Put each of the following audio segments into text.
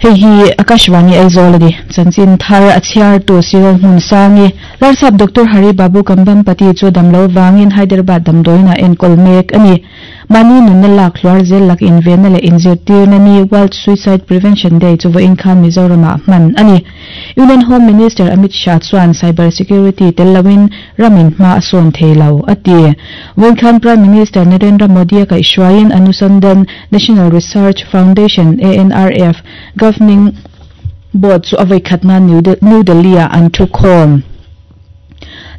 Hei hi Akashvani Aizawl a ni. Chanchin thar a chhiartu Cyril Hmunsangi, Larsap Doctor Hari Babu Kambhampati chu damlo vangin Hyderabad damdawiin ah enkawl mek a ni. Mahni nunna lak hluar zel lak invenna leh inzirtirna ni World Suicide Prevention Day chu vawiin khan Mizoramah hman a ni. Union Home Minister Amit Shah chuan cyber security tel loin ramin hma a sawn thei lo, a ti. Vawiin khan Prime Minister Narendra Modi a kaihhruaiin Anusandhan National Research Foundation, ANRF, Governing Board chu a vawikhatna New Delhi-ah an thukhawm.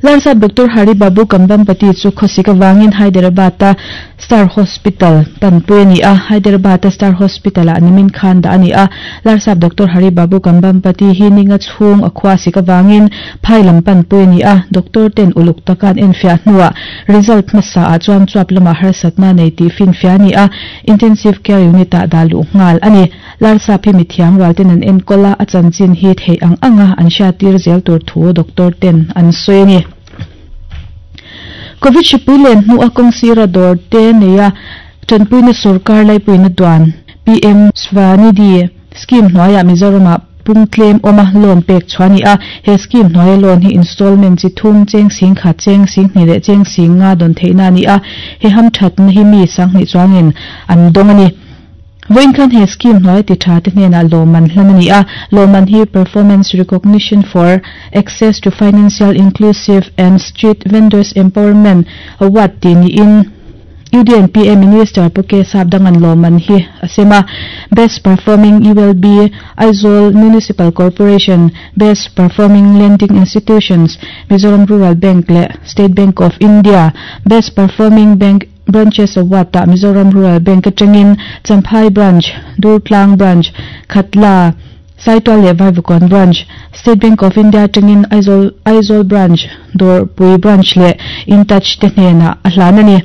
Larsap Doctor Hari Babu Kambhampati chu khawsik avangin Hyderabad-a Star Hospital tanpui a ni a, Hyderabad-a Star Hospital-ah nimin khan dah a ni a. Larsap Doctor Hari Babu Kambhampati hi ninga chhung a khuasik avangin phai lam panpui a ni a, doctor ten uluk taka an enfiah hnuah result hmasa ah chuan chuap lamah harsatna nei tih finfiah a ni a, Intensive Care Unit-ah dah luh nghal a ni. Larsap hi mithiam rual ten an enkawl a, a chanchin hi theih ang anga an hriattir zel tur thu doctor ten an sawi a ni. Covid hripui len hnua kawng sira dawr te neia tanpuina sorkar laipuina duan PM Svanidhi scheme hnuaiah Mizoramah pung tlem awma loan pek chhuah a ni a. He scheme hnuaia loan hi installment chi thum, cheng sing khat, cheng sing hnih leh cheng sing nga dawn theihna a ni a. He hamthatna hi mi sanghnih chuangin an dawng a ni. Vawiin khan he scheme hnuaia ti tha te hnenah lawmman hlan a ni a, lawmman hi Performance Recognition for Access to Financial Inclusive and Street Vendors Empowerment Award tih niin UDNPA Minister Pu K Sapdanga'n lawmman hi a sem a. Best Performing ULB, Aizawl Municipal Corporation, Best Performing Lending Institutions, Mizoram Rural Bank leh State Bank of India, Best Performing Bank Branches Award ah Mizoram Rural Bank atangin Champhai Branch, Durtlang Branch, Khatla, Saitual leh Vaivakawn Branch, State Bank of India atangin Aizawl Aizawl Branch, Dawrpui Branch leh InTouch te hnenah a hlan a ni.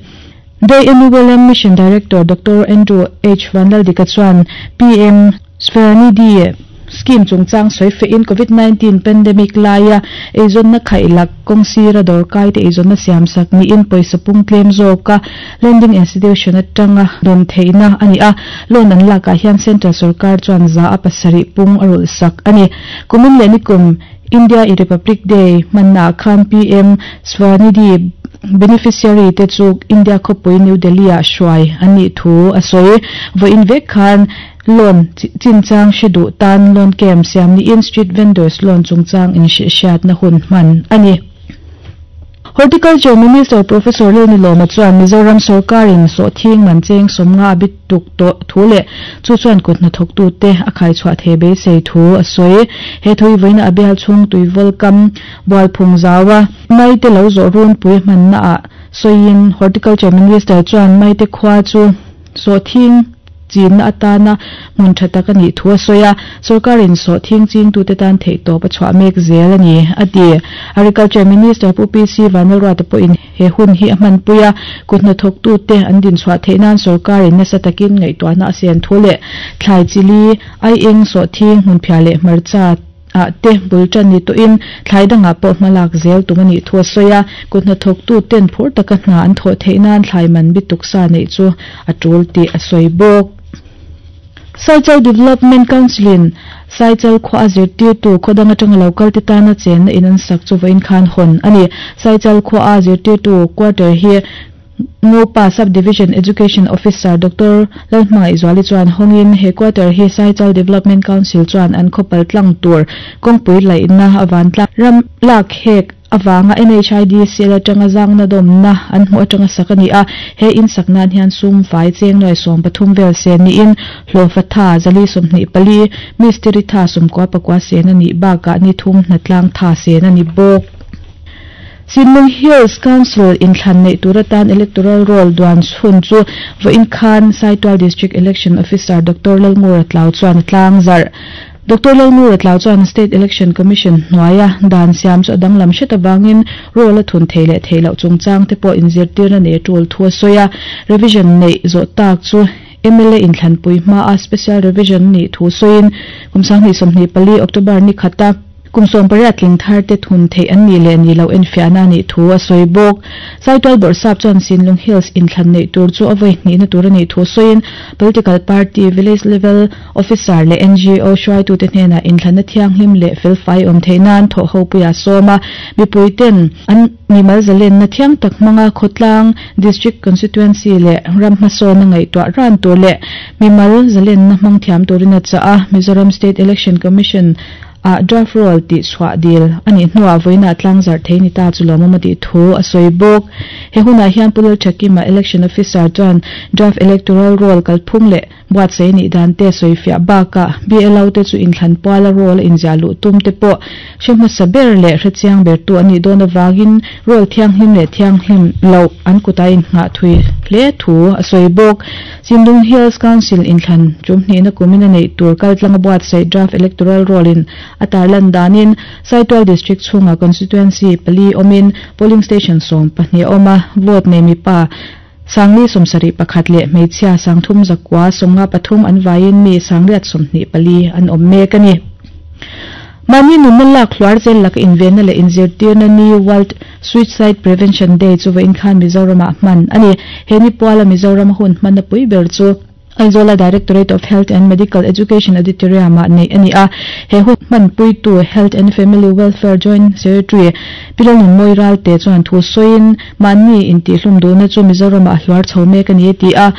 Day NULM Mission Director Doctor Andrew H Vanlaldika chuan PM Svanidhi scheme chungchang sawi fehin Covid 19 pandemic laia eizawnna khaihlak kawng sira dawrkaite eizawnna siamsak niin pawisa pung tlem zawka lending institution atanga dawn theihna a ni a, loan an lakah hian central sorkar chuan za a pasarih pung a rulhsak a ni. Kumin leh nikum India i Republic Day hmannaah khan PM Svanidhi beneficiary te chu India khawpui New Delhi-ah hruai an nih thu a sawi. Vawiin vek khan Loan chinchang hre duh tan loan camp siam niin street vendors loan chungchang inhrehhriatna hun hman a ni. Horticulture Minister Professor Lalnilawma chuan Mizoram sawrkarin sawhthing man cheng sawmnga a bit tuk tawh thu leh chu chuan kut hnathawktute a khaichhuah thei beisei thu a sawi. He thui vawiina a bial chhung tuivawl kam bualphung zaua maite lo zawh runpui hmannaah sawiin Horticulture Minister chuan maite khua chu sawhthing chinna atana hmun tha tak a nih thu a sawi a, sawrkarin sawhthing chingtute tan theihtawp a chhuah mek zel a ni, a ti. Agriculture Minister Pu PC Vanlalruata pawhin he hun hi a hmanpui a, kut hnathawktute an dinchhuah theih nan sawrkarin nasa takin ngaihtuahna a siam thu leh thlai chili, aieng, sawhthing, hmunphiah leh hmarcha, ah te bul tan ni tawhin thlai dangah pawh hma lak zel tum a nih thu a sawi a, kut hnathawktu ten phur taka hna an thawh theih nan thlai man bi tuksa neih chu a tul tih a sawi bawk. Saichal Development Council in Saichal khua a zirtirtu khaw dang atanga lo kal te tana chenna in an sak chu vawiin khan hawn a ni. Saichal khua a zirtirtu quarter hi Ngopa Sub-Division Education Officer Doctor Lalhmangaihzuali chuan hawngin he quarter hi Saichal Development Council chuan an khawpal tlang tur kawngpui laihna a vantlang ram lak hek avanga NHIDCL atanga zangna dawmna an hmuh atanga sak a ni a, he in sak nan hian sum fai cheng nuai 13 vel sen niin hlawhfa tha 424, mistiri tha 94 sen a nih bakah ni thum hnatlang tha sen a ni bawk. Sinlung Hills Council inthlan neih tur atan Electoral Roll duan chhun chu vawiin khan Saitual District Election Officer Doctor Lalngura Tlau chuan a tlang zarh. Doctor Lalngura Tlau chuan State Election Commission hnuaia dan siam chu a danglam hret avangin roll a thun thei leh theih loh chungchang te pawh inzirtirna nei a tul thu a sawi a. Revision neih zawh tak chu mla inthlanpui hmaa Special Revision nih thu sawiin kum 2024 October ni khata. kum 18 tling thar te thun theih an nih leh nih loh enfiahna a nih thu a sawi bawk. Saitual Bawrhsap chuan Sinlung Hills inthlan neih tur chu a vawi hnihna tur a nih thu sawiin Political Party, Village Level Officer leh ngo hruaitute hnenah inthlanna thianghlim leh felfai awm theih nan thawhhopuia sawm a, mipuiten an mimal zalenna thiang tak hmanga khawtlang, District Constituency leh ram hmasawna ngaihtuah ran tur leh mimal zalenna hmang thiam turin a chah a, Mizoram State Election Commission ah draft roll tih chhuah dil a nih hnuah vawiinah tlangzarh thei ni ta chu lawmawm a tih thu a sawi bawk. He hunah hian Pu Lalthakima Election Officer chuan draft electoral roll kalphung leh buatsaih a nih dan te sawi fiah bakah BLO te chu inthlan puala roll a inziah luh tum te pawh hre hmasa ber leh hre chiang bertu an nih dawn avangin roll thianghlim leh thianghlim loh an kutah innghah thui hle thu a sawi bawk. Chindung Hills Council inthlan tum hnihna kumin a neih tur kaltlanga buatsaih Draft Electoral Roll in a tarlan danin Saitual District chhungah Constituency pali awmin Polling Station 12 a awm a, vote nei mipa Sangli 71 leh hmeichhia 3953 an vaiin mi 824 an awm mek a ni. Mahni nunna lak hluar zel laka invenna leh inzirtirna ni World Suicide Prevention Day chu vawiin khan Mizoramah hman a ni. He ni puala Mizorama hun hmanna pui ber chu Aizawla Directorate of Health and Medical Education Auditorium-ah neih a ni a. He hun hmanpuitu Health and Family Welfare Joint Secretary Pi Lalnunmawi Ralte chuan thu sawiin mahni intihhlum duhna chu Mizoramah a hluar chho mek a ni a ti a.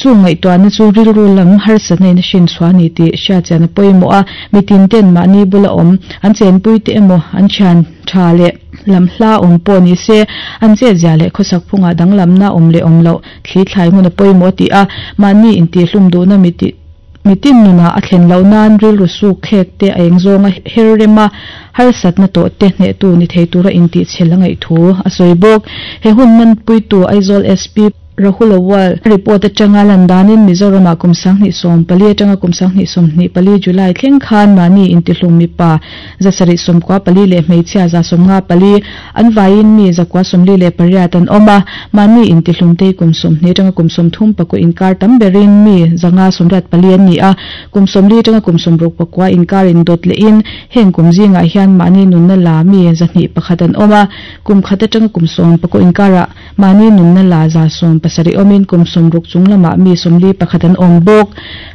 Chu ngaihtuahna chu rilru lam harsatna in a hrin chhuah a ni tih hriatchian a pawimawh a, mitin ten mahni bula awm, an chenpui te emaw, an thian tha leh lam hla awm pawh ni se, an chetzia leh khawsak phungah danglamna awm leh awm loh thli thlai hmun a pawimawh a ti a, mahni intihhlum duhna mitin nunah a thlen loh nan rilru suk thlek te a eng zawnga her rem a, harsatna tawh te hnehtu ni thei tura intihchhel a ngaih thu a sawi bawk. He hun hmanpuitu Aizawl SP. Rahul Awal report atanga lan danin Mizoramah kum 2014 atanga kum 2024 July thleng khan mahni intihlum mipa 794 leh hmeichhia 154 an vaiin mi 948 an awm a, mahni intihlum te hi kum 20 atanga kum 34 inkar tam berin mi 584 an ni a, kum 40 atanga kum 64 inkar indawt lehin heng kum zingah hian mahni nunna la mi 201 an awm a, kum khat atanga kum 19 inkarah Mahni nunna la 170 awmin kum 60 chung lamah mi 41 an awm bawk.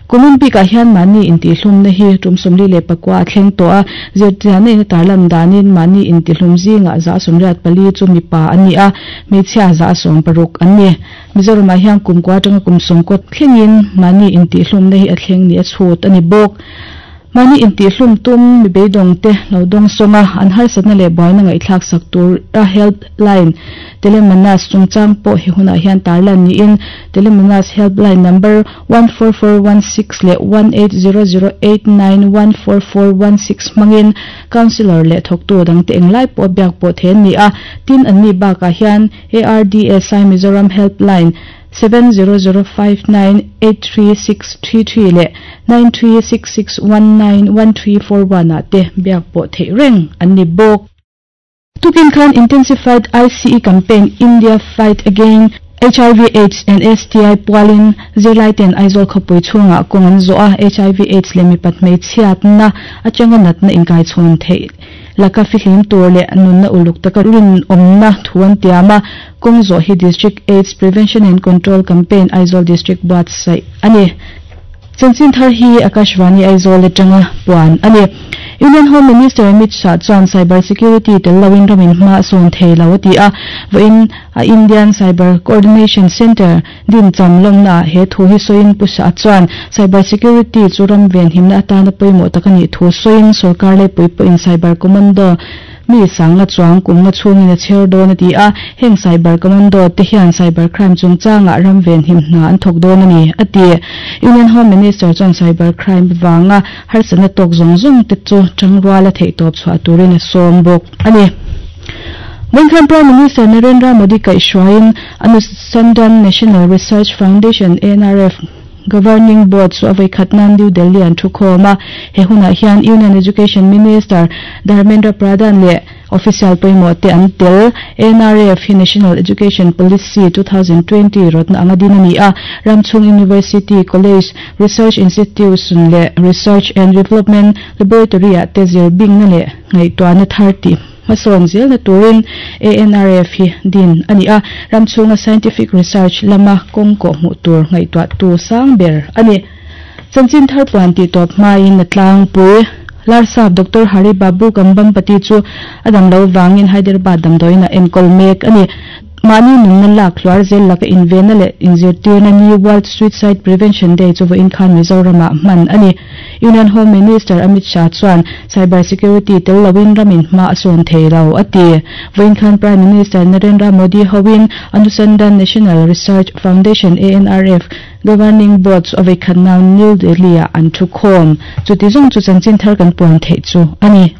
Kumin bikah hian mahni intihlumna hi tum 49 a thleng tawh a, zirtianna in a tarlan danin mahni intihlum zingah 84 chu mipa an ni a, hmeichhia 60 an ni. Mizoramah hian kum kua atanga kum 90 thlengin mahni intihlumna hi a thleng ni a chhut a ni bawk. Mahni intihhlum tum mi beidawng te lo dawng sawng a, an harsatna leh buaina ngaihthlak sak tur a helpline Telemanas chungchang pawh he hunah hian tarlan niin Telemanas helpline number 14416 leh 180089 14416 hmangin Councillor leh thawktu dangte englai pawh a biak pawh thei an ni a, tin anni bakah hian ARDSI Mizoram helpline 7005983633 leh 9366191341 ah te biak pawh theih reng an ni bawk. Tukin khan Intensified ICE Campaign India Fight Again HIV Aids and STI pualin zirlaiten Aizawl khawpui chhungah kawng an zawh a, HIV Aids leh mipat hmeichhiatna atanga natna inkaichhawn theih laka fihlim tur leh nunna uluk taka rinawmna thu an tiam a, kawng zawh hi District Aids Prevention and Control Campaign Aizawl District buatsaih a ni. Chanchin thar hi Akashvani Aizawl atanga puan a ni. Union Home Minister Amit Shah chuan cyber security tel loin ramin hma a sawn thei lo a ti a, vawiin a Indian Cyber Coordination Centre din cham lawmnaah he thu hi sawiin Pu Shah chuan cyber security chu ram venhimna atana pawimawh tak a nih thu sawiin sorkar laipui pawhin cyber commando Mi sangna chuang kumna chhungin a chher dawn a ti a, heng cyber commando te hian cyber crime chungchangah ram venhim hna an thawk dawn a ni, a ti. Union Home Minister chuan cyber crime vanga harsatna tawk zawng zawng te chu tangruala theihtawp chhuah turin a sawm bawk a ni. Vawinkhan Prime Minister Narendra Modi kaihhruaiin Anusandhan National Research Foundation, ANRF, Governing Board chu a vawikhat nan New Delhi an thu khawm a, he hunah hian Union Education Minister Dharmendra Pradhan leh Official pawimawh te an tel. ANRF hi National Education Policy 2020 rawtna anga din a ni a, ram chhung University, College, Research Institution leh Research and Development Laboratory ah te zir bingna leh ngaihtuahna thar tih hmasawn zelna turin ANRF hi din a ni a, ram chhunga scientific research lama kawng kawh hmuh tur ngaihtuahtu sang ber a ni. Chanchin thar puan tih tawp hmain a tlangpui. Larsap Doctor Hari Babu Kambhampati chu a dam lo vangin Hyderabad damdawiin a enkawl mek a ni. Mahni nunna lak hluar zel laka invenna leh inzirtirna ni World Suicide Prevention Day chu vawiin khan Mizoramah hman a ni. Union Home Minister Amit Shah chuan cyber security tel loin ramin hma a sawn thei lo a ti. Vawiin khan Prime Minister Narendra Modi hoin Anusandhan National Research Foundation, ANRF, Governing Board chu a veikhat nau New Delhi-ah an thu khawm. Chuti zawng chu chanchin thar kan puan theih chu a ni.